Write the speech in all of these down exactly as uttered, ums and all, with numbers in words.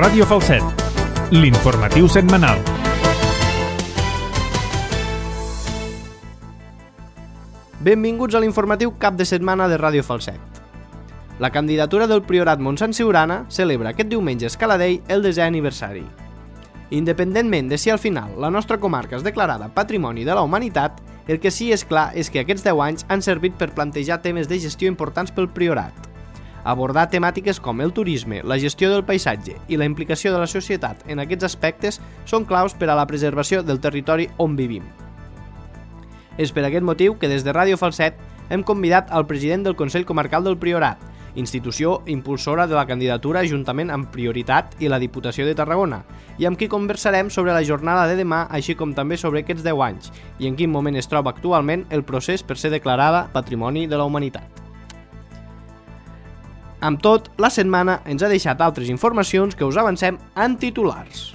Ràdio Falset, l'informatiu setmanal. Benvinguts a l'informatiu cap de setmana de Ràdio Falset. La candidatura del Priorat Montsant Siurana celebra aquest diumenge a Escaladei el desè aniversari. Independentment de si al final la nostra comarca és declarada Patrimoni de la Humanitat, el que sí és clar és que aquests deu anys han servit per plantejar temes de gestió importants pel Priorat. Abordar temàtiques com el turisme, la gestió del paisatge i la implicació de la societat en aquests aspectes són claus per a la preservació del territori on vivim. És per aquest motiu que des de Ràdio Falset hem convidat al president del Consell Comarcal del Priorat, institució impulsora de la candidatura juntament amb Prioritat i la Diputació de Tarragona, i amb qui conversarem sobre la jornada de demà, així com també sobre aquests deu anys i en quin moment es troba actualment el procés per ser declarada Patrimoni de la Humanitat. Amb tot, la setmana ens ha deixat altres informacions que us avancem en titulars.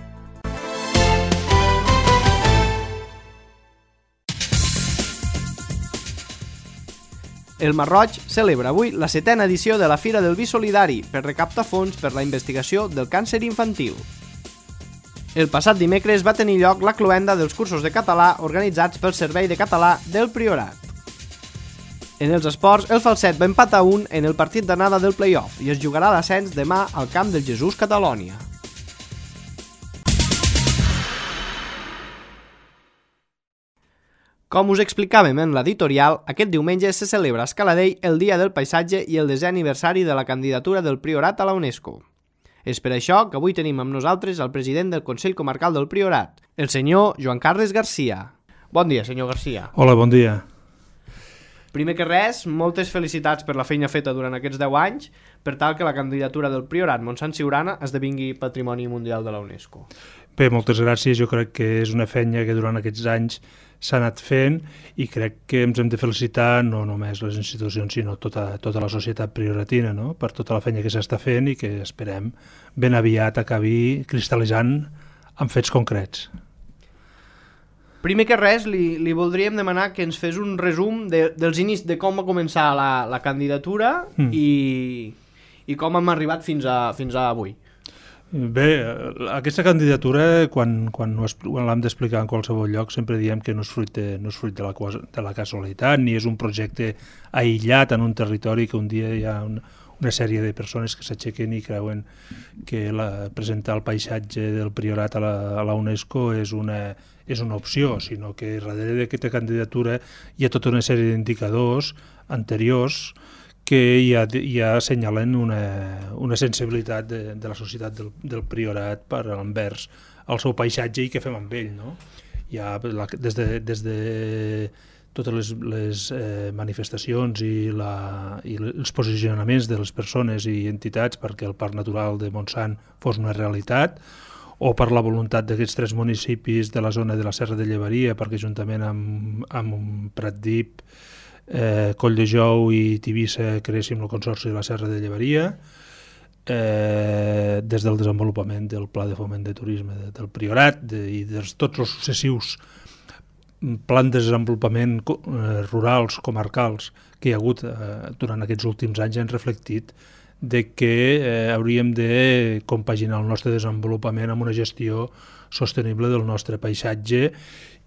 El Masroig celebra avui la setena edició de la Fira del Vi Solidari per recaptar fons per la investigació del càncer infantil. El passat dimecres va tenir lloc la cloenda dels cursos de català organitzats pel Servei de Català del Priorat. En els esports, el Falset va empatar un en el partit d'anada del play-off i es jugarà l'ascens demà al camp del Jesús Catalònia. Com us explicàvem en l'editorial, aquest diumenge se celebra a Escaladei el Dia del Paisatge i el desè aniversari de la candidatura del Priorat a la UNESCO. És per això que avui tenim amb nosaltres el president del Consell Comarcal del Priorat, el senyor Joan Carles Garcia. Bon dia, senyor Garcia. Hola, bon dia. Primer que res, moltes felicitats per la feina feta durant aquests deu anys per tal que la candidatura del Priorat Montsant Siurana esdevingui Patrimoni Mundial de la UNESCO. Bé, moltes gràcies. Jo crec que és una feina que durant aquests anys s'ha anat fent i crec que ens hem de felicitar no només les institucions sinó tota, tota la societat prioratina, no? Per tota la feina que s'està fent i que esperem ben aviat acabi cristal·litzant en fets concrets. Primer que res, li, li voldríem demanar que ens fes un resum de, dels inicis de com va començar la, la candidatura mm. i, i com hem arribat fins a, fins a avui. Bé, aquesta candidatura, quan, quan, quan l'hem d'explicar en qualsevol lloc, sempre diem que no és fruit, de, no és fruit de, la, de la casualitat, ni és un projecte aïllat en un territori que un dia hi ha una, una sèrie de persones que s'aixequen i creuen que la, presentar el paisatge del Priorat a la, a la UNESCO és una, és una opció, sinó que darrere d'aquesta candidatura hi ha tota una sèrie d'indicadors anteriors que ja, ja assenyalen una, una sensibilitat de, de la societat del, del Priorat per envers el seu paisatge i què fem amb ell, no? Ja, la, des, de, des de totes les, les eh, manifestacions i, la, i els posicionaments de les persones i entitats perquè el Parc Natural de Montsant fos una realitat, o per la voluntat d'aquests tres municipis de la zona de la Serra de Llevaria, perquè juntament amb, amb Pratdip, Eh, Colldejou i Tivissa creéssim el Consorci de la Serra de Llevaria, eh, des del desenvolupament del Pla de Foment de Turisme de, del Priorat de, i de tots els successius plans de desenvolupament eh, rurals, comarcals que hi ha hagut eh, durant aquests últims anys han reflectit de que eh, hauríem de compaginar el nostre desenvolupament amb una gestió sostenible del nostre paisatge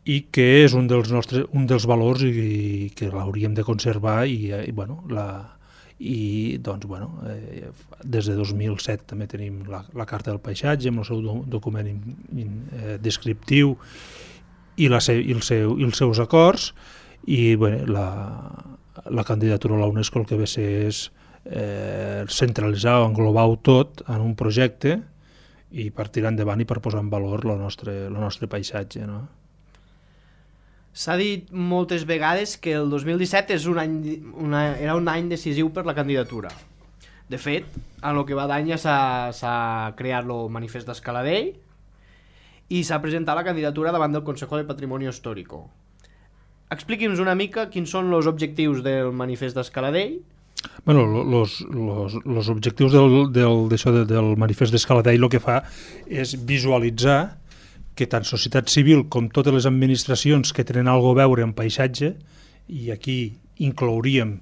i que és un dels nostres un dels valors i, i que l'hauríem de conservar i, i bueno, la, i doncs bueno, eh, des de dos mil set també tenim la, la Carta del Paisatge amb el seu do, document in, in, eh, descriptiu i, la se, i, el seu, i els seus acords i bueno, la, la candidatura a la UNESCO el que ve a ser és eh, centralitzar o englobar-ho tot en un projecte i per tirar endavant i per posar en valor el nostre, el nostre paisatge, no? S'ha dit moltes vegades que el dos mil disset és un any, una, era un any decisiu per la candidatura. De fet, en el que va d'any ja s'ha creat el manifest d'Escaladei i s'ha presentat la candidatura davant del Consejo de Patrimonio Histórico. Expliqui'ns una mica quins són els objectius del manifest d'Escaladei. Bueno, los, los, los objectius del, del, del, del manifest d'Escaladei el que fa és visualitzar que tant societat civil com totes les administracions que tenen alguna a veure amb paisatge, i aquí inclouríem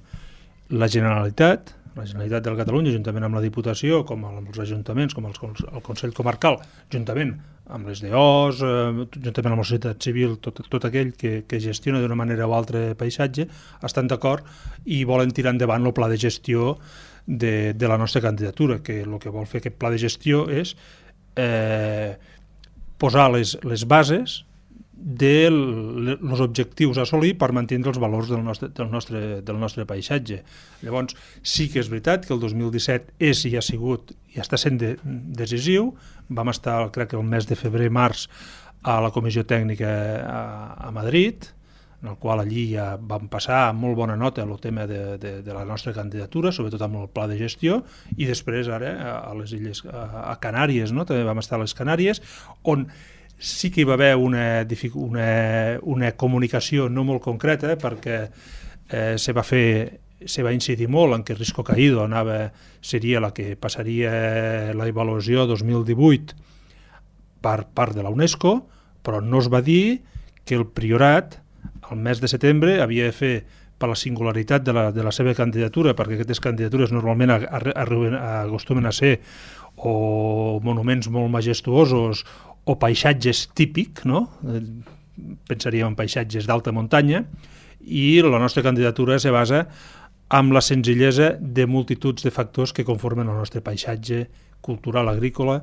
la Generalitat, la Generalitat de Catalunya, juntament amb la Diputació, com amb els ajuntaments, com els, el Consell Comarcal, juntament amb les D Os, eh, juntament amb la societat civil, tot, tot aquell que, que gestiona d'una manera o altra paisatge, estan d'acord i volen tirar endavant el pla de gestió de, de la nostra candidatura, que el que vol fer aquest pla de gestió és eh, posar les, les bases dels objectius a assolir per mantenir els valors del nostre, del, nostre, del nostre paisatge. Llavors, sí que és veritat que el dos mil disset és i ha sigut i està sent de, decisiu. Vam estar, crec que el mes de febrer-març, a la comissió tècnica a, a Madrid, en el qual allí ja vam passar amb molt bona nota el tema de, de, de la nostra candidatura, sobretot amb el pla de gestió, i després ara a les illes, a, a Canàries, no? També vam estar a les Canàries, on sí que hi va haver una, una, una comunicació no molt concreta, perquè eh, se va fer, se va incidir molt en que Risco Caído anava, seria la que passaria la avaluació dos mil divuit per part de la UNESCO, però no es va dir que el Priorat, al mes de setembre, havia de fer, per la singularitat de la, de la seva candidatura, perquè aquestes candidatures normalment acostumen a ser o monuments molt majestuosos o paisatges típic, no? Pensaríem en paisatges d'alta muntanya, i la nostra candidatura se basa en la senzillesa de multituds de factors que conformen el nostre paisatge cultural agrícola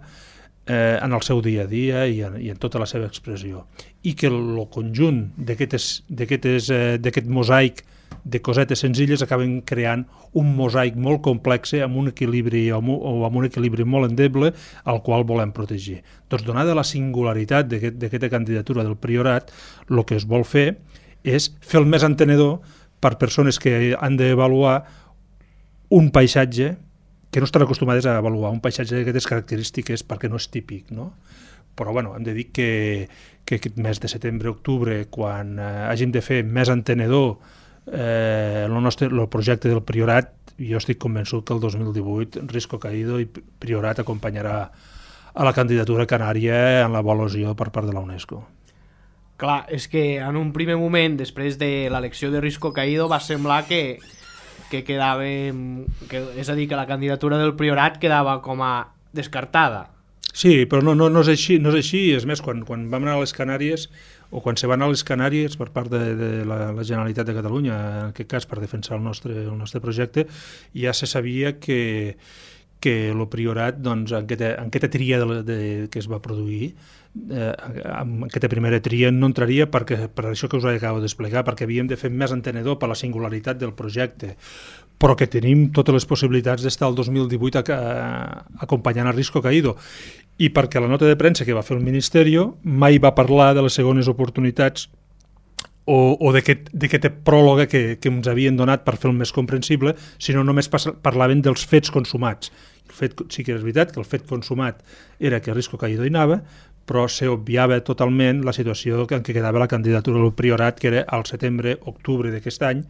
eh, en el seu dia a dia i en, i en tota la seva expressió. I que el conjunt d'aquest mosaic de cosetes senzilles acaben creant un mosaic molt complex amb un equilibri o amb un equilibri molt endeble al qual volem protegir. Doncs, donada la singularitat d'aquesta candidatura del Priorat, el que es vol fer és fer el més entenedor per persones que han d'avaluar un paisatge que no estan acostumades a avaluar, un paisatge d'aquestes característiques perquè no és típic, no? Però bueno, hem de dir que, que aquest mes de setembre-octubre, quan eh, hàgim de fer més entenedor Eh, el, nostre, el projecte del Priorat, jo estic convençut que el dos mil divuit Risco Caído i Priorat acompanyarà a la candidatura canària en l'avaluació per part de la UNESCO. Clar, és que en un primer moment, després de l'elecció de Risco Caído, va semblar que, que quedava, que, és a dir, que la candidatura del Priorat quedava com a descartada. Sí, però no, no, no és així, no és així. És més, quan, quan vam anar a les Canàries, o quan se va anar a les Canàries per part de, de la, la Generalitat de Catalunya, en aquest cas per defensar el nostre, el nostre projecte, ja se sabia que, que el Priorat, doncs, en aquesta, en aquesta tria de, de, que es va produir, eh, en aquesta primera tria no entraria perquè, per això que us acabo d'explicar, perquè havíem de fer més entenedor per la singularitat del projecte, però que tenim totes les possibilitats d'estar el dos mil divuit a, a, acompanyant a Risco Caído, i perquè la nota de premsa que va fer el Ministeri mai va parlar de les segones oportunitats o, o d'aquesta pròloga que, que ens havien donat per fer el més comprensible, sinó només parlaven dels fets consumats. El fet, sí que és veritat que el fet consumat era que Risco Caído hi anava, però s'obviava totalment la situació en què quedava la candidatura del Priorat, que era al setembre-octubre d'aquest any,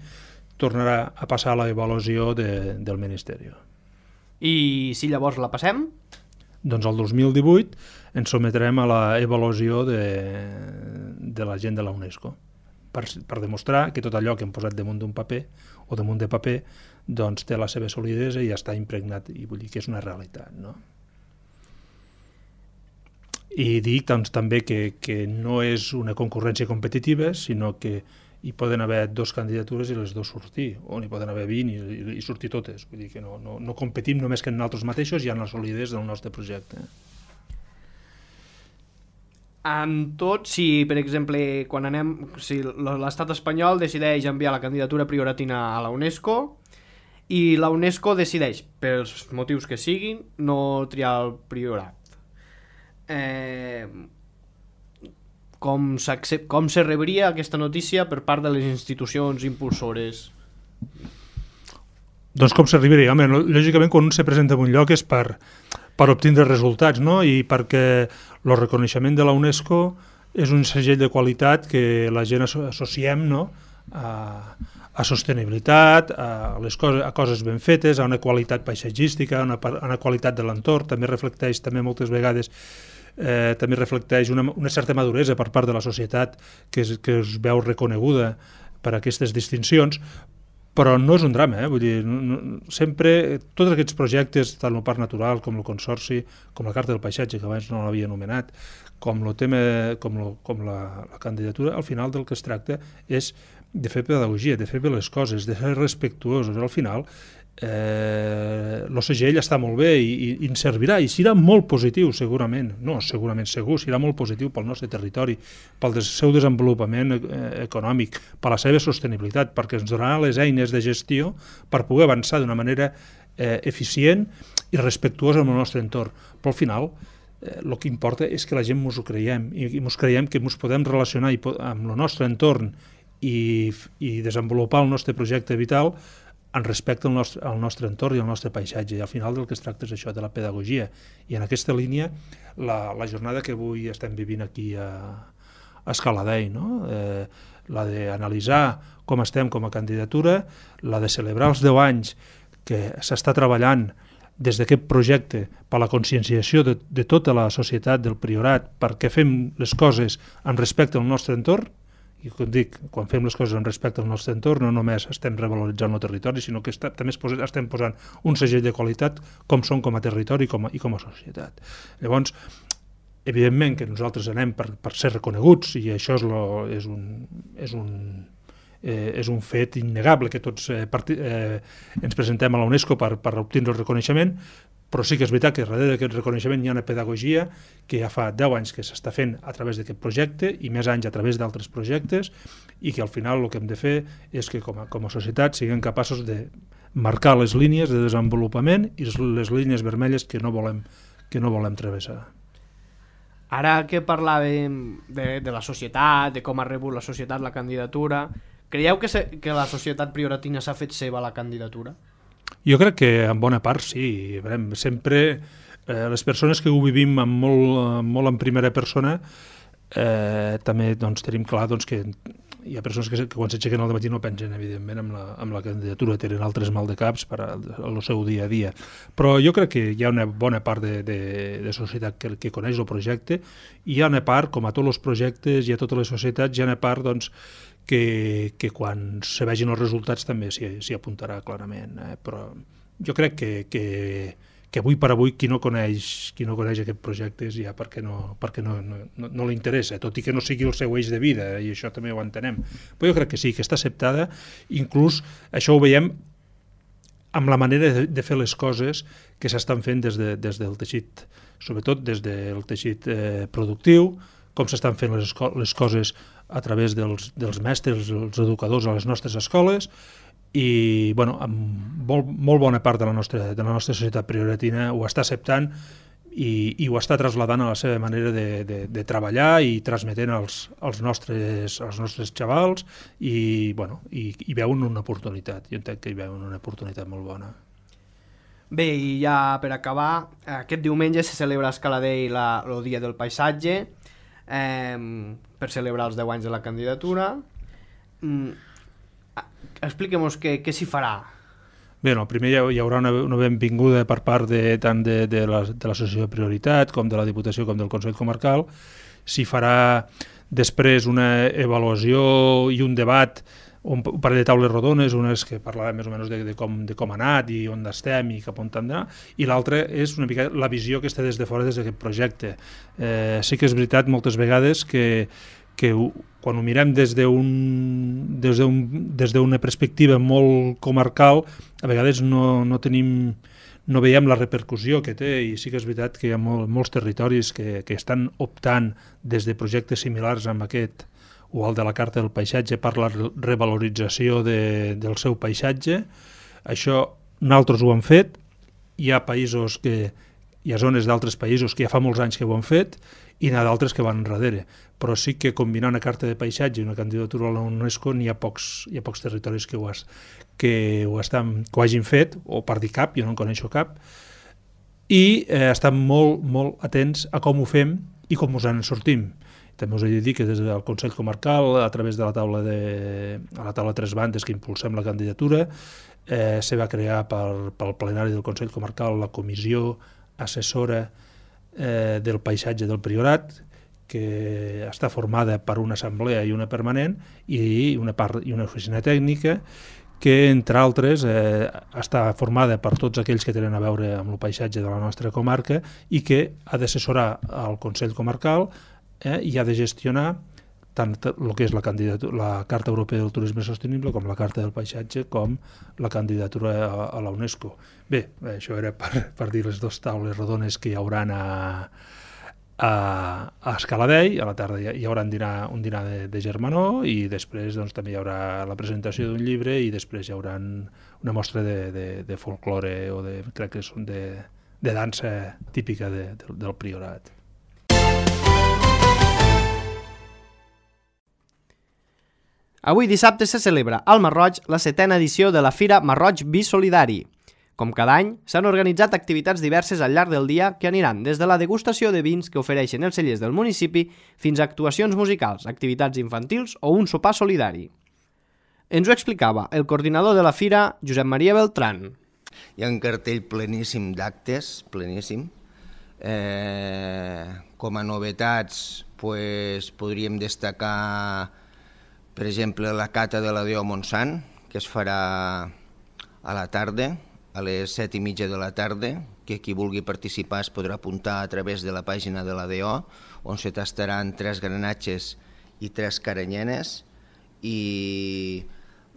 tornarà a passar a l'avaluació de, del Ministeri. I si llavors la passem? Doncs el dos mil divuit ens sometrem a l'avaluació de, de la gent de la UNESCO per, per demostrar que tot allò que hem posat damunt d'un paper o damunt de paper doncs té la seva solidesa i ja està impregnat, i vull dir que és una realitat, no? I dic doncs, també que, que no és una concurrència competitiva, sinó que hi poden haver dues candidatures i les dues sortir, o n'hi poden haver vint i, i, i sortir totes. Vull dir que no, no, no competim només que en nosaltres mateixos i en la solidesa del nostre projecte. En tot, si per exemple quan anem, si l'estat espanyol decideix enviar la candidatura prioratina a la UNESCO i la UNESCO decideix, pels motius que siguin, no triar el Priorat, eh... com, com se rebria aquesta notícia per part de les institucions impulsores? Doncs com s'arribaria? Home, lògicament quan un se presenta en un lloc és per, per obtindre resultats, no? I perquè el reconeixement de la UNESCO és un segell de qualitat que la gent associem, no? a, a sostenibilitat, a, les coses, a coses ben fetes, a una qualitat paisatgística, a una, a una qualitat de l'entorn. També reflecteix també moltes vegades Eh, també reflecteix una, una certa maduresa per part de la societat que es, que es veu reconeguda per aquestes distincions, però no és un drama, eh? Vull dir, no, no, sempre, tots aquests projectes, tant el Parc Natural com el Consorci, com la Carta del Paisatge, que abans no l'havia anomenat, com, lo tema, com, lo, com la, la candidatura, al final del que es tracta és de fer pedagogia, de fer bé les coses, de ser respectuosos. Al final, eh, l'O C G L està molt bé i, i, i ens servirà, i serà molt positiu segurament, no, segurament segur, serà molt positiu pel nostre territori, pel seu desenvolupament eh, econòmic, per la seva sostenibilitat, perquè ens donarà les eines de gestió per poder avançar d'una manera eh, eficient i respectuosa amb el nostre entorn. Però al final eh, el que importa és que la gent ens ho creiem, i, i ens creiem que ens podem relacionar i, amb el nostre entorn i, i desenvolupar el nostre projecte vital en respecte al nostre, al nostre entorn i al nostre paisatge. I al final del que es tracta és això, de la pedagogia. I en aquesta línia, la, la jornada que avui estem vivint aquí a, a Escaladei, no? eh, la d'analitzar com estem com a candidatura, la de celebrar els deu anys que s'està treballant des d'aquest projecte per la conscienciació de, de tota la societat del Priorat, perquè fem les coses en respecte al nostre entorn. I com dic, quan fem les coses en respecte al nostre entorn, no només estem revaloritzant el territori, sinó que està, també estem posant un segell de qualitat com som com a territori com a, i com a societat. Llavors, evidentment que nosaltres anem per, per ser reconeguts, i això és, lo, és, un, és, un, eh, és un fet innegable, que tots eh, parti, eh, ens presentem a la UNESCO per, per obtenir el reconeixement, però sí que és veritat que darrere d'aquest reconeixement hi ha una pedagogia que ja fa deu anys que s'està fent a través d'aquest projecte i més anys a través d'altres projectes, i que al final el que hem de fer és que com a, com a societat siguem capaços de marcar les línies de desenvolupament i les línies vermelles que no volem, que no volem travessar. Ara que parlàvem de, de la societat, de com ha rebut la societat la candidatura, creieu que, se, que la societat prioratina s'ha fet seva la candidatura? Jo crec que en bona part sí. Sempre eh, les persones que ho vivim amb molt, molt en primera persona eh, també doncs, tenim clar doncs, que hi ha persones que, que quan s'aixequen al matí no pensen evidentment amb la, amb la candidatura, tenen altres maldecaps per al seu dia a dia. Però jo crec que hi ha una bona part de, de, de societat que, que coneix el projecte, i hi ha una part, com a tots els projectes i a totes les societats, hi ha una part doncs, que, que quan se vegin els resultats també s'hi apuntarà clarament. Eh? Però jo crec que, que, que avui per avui qui no coneix, qui no coneix aquest projecte és ja perquè no, perquè no, no, no, no li interessa, tot i que no sigui el seu eix de vida, i això també ho entenem. Però jo crec que sí, que està acceptada, inclús això ho veiem amb la manera de, de fer les coses que s'estan fent des, de, des del teixit, sobretot des del teixit eh, productiu, com s'estan fent les, les coses a través dels, dels mestres, els educadors a les nostres escoles, i bueno, amb molt, molt bona part de la, nostra, de la nostra societat prioratina ho està acceptant i, i ho està traslladant a la seva manera de, de, de treballar i transmetent als, als, nostres, als nostres xavals, i, bueno, i, i veuen una oportunitat. Jo entenc que hi veuen una oportunitat molt bona. Bé, i ja per acabar, aquest diumenge se celebra a Escaladei el Dia del Paisatge, eh, per celebrar els deu anys de la candidatura. Mm, expliquem-nos què, què s'hi farà. Bé, no, primer hi, hi haurà una, una benvinguda per part de, tant de, de l'Associació de Prioritat com de la Diputació com del Consell Comarcal. S'hi farà després una avaluació i un debat, un parell de taules rodones, unes que parlaven més o menys de, de, com, de com ha anat i on estem i cap on anar, i l'altra és una mica la visió que està des de fora des d'aquest projecte. Eh, sí que és veritat moltes vegades que, que ho, quan ho mirem des d'un des d'un des d'una perspectiva molt comarcal, a vegades no, no tenim no veiem la repercussió que té, i sí que és veritat que hi ha molt, molts territoris que, que estan optant des de projectes similars amb aquest o el de la Carta del Paisatge per la revalorització de, del seu paisatge. Això nosaltres ho hem fet, hi ha països que hi ha zones d'altres països que ja fa molts anys que ho han fet, i n'hi ha d'altres que van enrere, però sí que combinant una carta de paisatge i una candidatura a la UNESCO n'hi ha pocs, hi ha pocs territoris que ho, has, que ho, estan, que ho hagin fet, o per dir cap, jo no en coneixo cap, i eh, estan molt, molt atents a com ho fem i com us en sortim. També us he de dir que des del Consell Comarcal, a través de la taula de a la taula de tres bandes que impulsem la candidatura, eh, se va crear pel, pel plenari del Consell Comarcal la comissió assessora eh, del paisatge del Priorat, que està formada per una assemblea i una permanent i una, part, i una oficina tècnica, que, entre altres, eh, està formada per tots aquells que tenen a veure amb el paisatge de la nostra comarca i que ha d'assessorar al Consell Comarcal eh, i ha de gestionar tant el que és la, la Carta Europea del Turisme Sostenible com la Carta del Paisatge com la candidatura a, a la UNESCO. Bé, això era per, per dir les dues taules rodones que hi hauran a, a, a Escaladei. A la tarda hi, hi haurà un dinar, un dinar de, de germanor i després doncs, també hi haurà la presentació d'un llibre i després hi haurà una mostra de, de, de folklore o de, crec que són de, de dansa típica de, de, del Priorat. Avui dissabte se celebra al Masroig la setena edició de la Fira Masroig Vi Solidari. Com cada any, s'han organitzat activitats diverses al llarg del dia que aniran des de la degustació de vins que ofereixen els cellers del municipi fins a actuacions musicals, activitats infantils o un sopar solidari. Ens ho explicava el coordinador de la fira, Josep Maria Beltran. Hi ha un cartell pleníssim d'actes, pleníssim. Eh, com a novetats pues, podríem destacar, per exemple, la cata de la D O Montsant, que es farà a la tarda, a les set i mitja de la tarda, que qui vulgui participar es podrà apuntar a través de la pàgina de la D O, on se tastaran tres granatges i tres caranyenes, i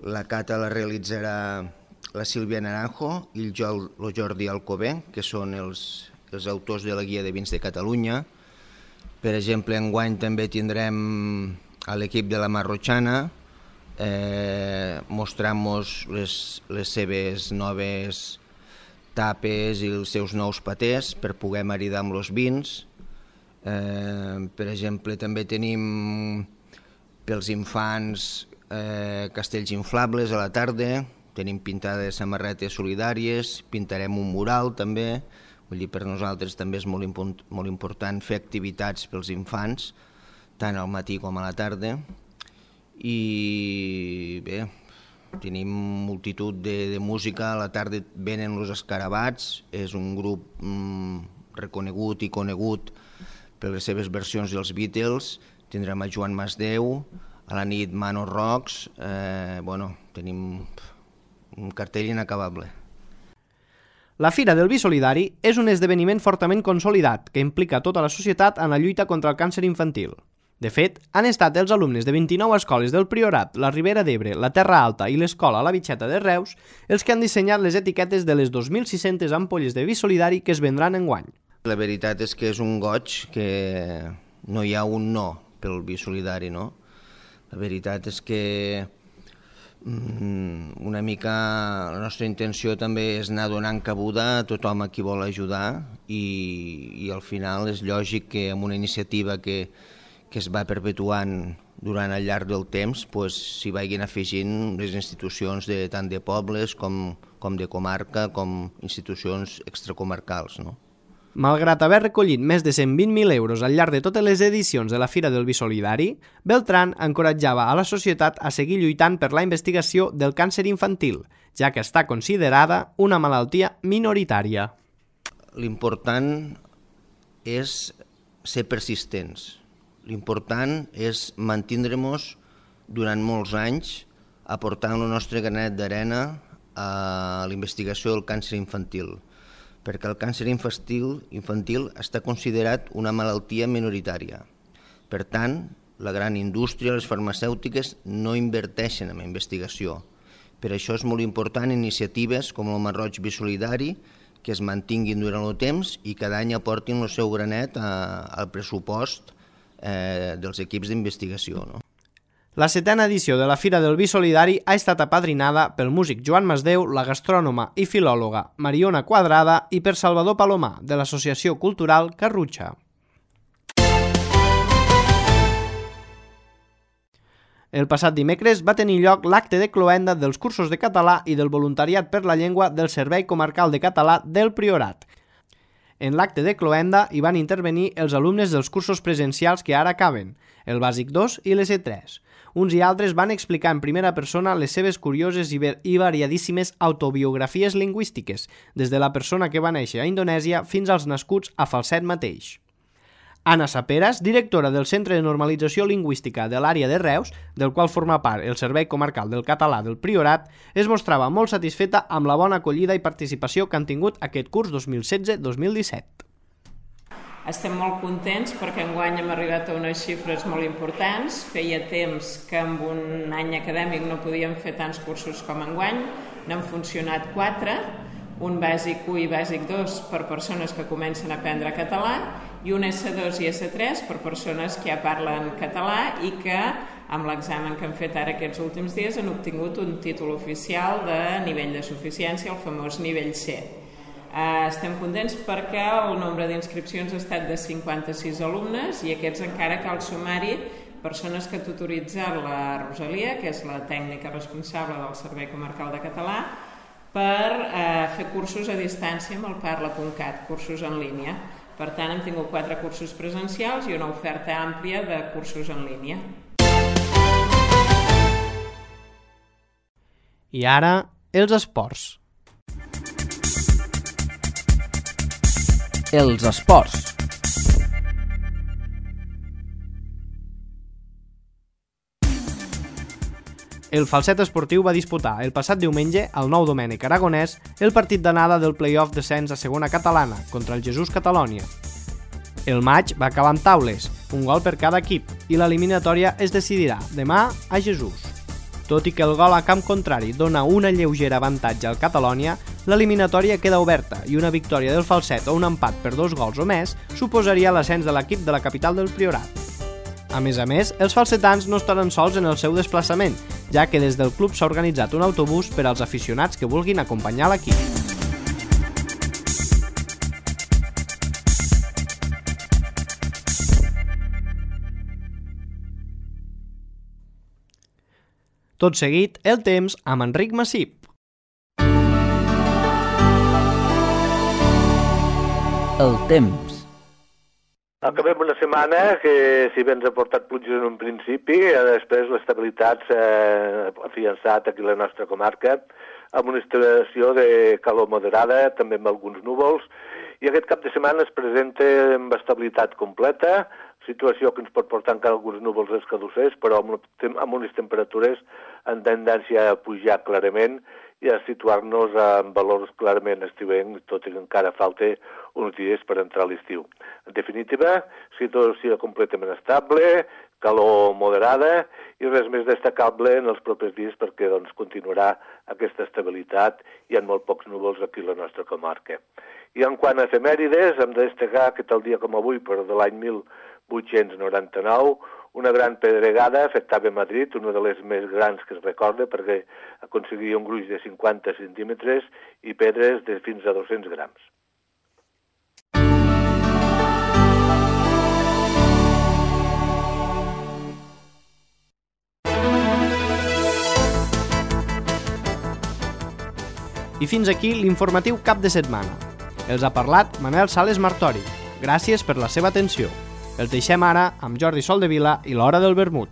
la cata la realitzarà la Sílvia Naranjo i el Jordi Alcover, que són els, els autors de la Guia de Vins de Catalunya. Per exemple, enguany també tindrem a l'equip de la Marrotxana eh, mostrant-nos les, les seves noves tapes i els seus nous patés per poder maridar amb els vins. Eh, per exemple, també tenim pels infants eh, castells inflables a la tarda, tenim pintades samarretes solidàries, pintarem un mural també. Vull dir, per nosaltres també és molt, impo- molt important fer activitats pels infants, tant al matí com a la tarda. I bé, tenim multitud de, de música. A la tarda venen els Escarabats, és un grup mm, reconegut i conegut per les seves versions dels Beatles. Tindrem a Joan Masdeu, a la nit Mano Rocks. Eh, bueno, tenim un cartell inacabable. La Fira del Vi Solidari és un esdeveniment fortament consolidat que implica tota la societat en la lluita contra el càncer infantil. De fet, han estat els alumnes de vint-i-nou escoles del Priorat, la Ribera d'Ebre, la Terra Alta i l'escola La Bitxeta de Reus els que han dissenyat les etiquetes de les dos mil sis-centes ampolles de vi solidari que es vendran enguany. La veritat és que és un goig que no hi ha un no pel vi solidari, no? La veritat és que una mica la nostra intenció també és anar donant cabuda a tothom a qui vol ajudar i, i al final és lògic que amb una iniciativa que, que es va perpetuant durant el llarg del temps pues, s'hi vagin afegint les institucions de, tant de pobles com, com de comarca com institucions extracomarcals, no? Malgrat haver recollit més de cent vint mil euros al llarg de totes les edicions de la Fira del Vi Solidari, Beltran encoratjava a la societat a seguir lluitant per la investigació del càncer infantil, ja que està considerada una malaltia minoritària. L'important és ser persistents. L'important és mantindre-nos durant molts anys aportant el nostre granet d'arena a la investigació del càncer infantil, perquè el càncer infantil, infantil està considerat una malaltia minoritària. Per tant, la gran indústria, les farmacèutiques, no inverteixen en investigació. Per això és molt important iniciatives com el Masroig Vi Solidari, que es mantinguin durant el temps i cada any aportin el seu granet a, al pressupost eh, dels equips d'investigació, no? La setena edició de la Fira del Vi Solidari ha estat apadrinada pel músic Joan Masdeu, la gastrònoma i filòloga Mariona Quadrada i per Salvador Palomar, de l'Associació Cultural Carrutxa. El passat dimecres va tenir lloc l'acte de cloenda dels cursos de català i del voluntariat per la llengua del Servei Comarcal de Català del Priorat. En l'acte de cloenda hi van intervenir els alumnes dels cursos presencials que ara acaben, el Bàsic dos i l'E S tres. Uns i altres van explicar en primera persona les seves curioses i variadíssimes autobiografies lingüístiques, des de la persona que va néixer a Indonèsia fins als nascuts a Falset mateix. Anna Saperas, directora del Centre de Normalització Lingüística de l'àrea de Reus, del qual forma part el Servei Comarcal del Català del Priorat, es mostrava molt satisfeta amb la bona acollida i participació que han tingut aquest curs dos mil setze dos mil disset. Estem molt contents perquè enguany hem arribat a unes xifres molt importants. Feia temps que en un any acadèmic no podíem fer tants cursos com enguany. N'han funcionat quatre, un bàsic u i bàsic dos per persones que comencen a aprendre català i un esse dos i esse tres per persones que ja parlen català i que amb l'examen que han fet ara aquests últims dies han obtingut un títol oficial de nivell de suficiència, el famós nivell C. Estem contents perquè el nombre d'inscripcions ha estat de cinquanta-sis alumnes i aquests encara cal sumar-hi persones que ha tutoritzat la Rosalia, que és la tècnica responsable del Servei Comarcal de Català, per fer cursos a distància amb el parla punt cat, cursos en línia. Per tant, hem tingut quatre cursos presencials i una oferta àmplia de cursos en línia. I ara, els esports. Els esports. El Falset Esportiu va disputar el passat diumenge, al Nou Domènec Aragonès, el partit d'anada del play-off descens a segona catalana contra el Jesús Catalònia. El maig va acabar amb taules, un gol per cada equip, i l'eliminatòria es decidirà demà a Jesús. Tot i que el gol a camp contrari dona una lleugera avantatge al Catalònia, l'eliminatòria queda oberta i una victòria del Falset o un empat per dos gols o més suposaria l'ascens de l'equip de la capital del Priorat. A més a més, els falsetans no estaran sols en el seu desplaçament, ja que des del club s'ha organitzat un autobús per als aficionats que vulguin acompanyar l'equip. Tot seguit, el temps amb Enric Massip. El temps. Acabem una setmana que, si bé ens ha portat pluges en un principi, després l'estabilitat s'ha afiançat aquí a la nostra comarca, amb una estació de calor moderada, també amb alguns núvols, i aquest cap de setmana es presenta amb estabilitat completa, situació que ens pot portar encara alguns núvols escadussers, però amb, amb unes temperatures en tendència a pujar clarament i a situar-nos en valors clarament estiuencs, tot i que encara falta uns dies per entrar a l'estiu. En definitiva, situació completament estable, calor moderada i res més destacable en els propers dies perquè doncs, continuarà aquesta estabilitat i hi ha molt pocs núvols aquí a la nostra comarca. I en quant a efemèrides, hem de destacar que tal dia com avui, per de l'any mil vuit-cents noranta-nou, una gran pedregada afectava Madrid, una de les més grans que es recorda, perquè aconseguia un gruix de cinquanta centímetres i pedres de fins a dos-cents grams. I fins aquí l'informatiu cap de setmana. Els ha parlat Manel Sales Martori. Gràcies per la seva atenció. Els deixem ara amb Jordi Soldevila i l'Hora del Vermut.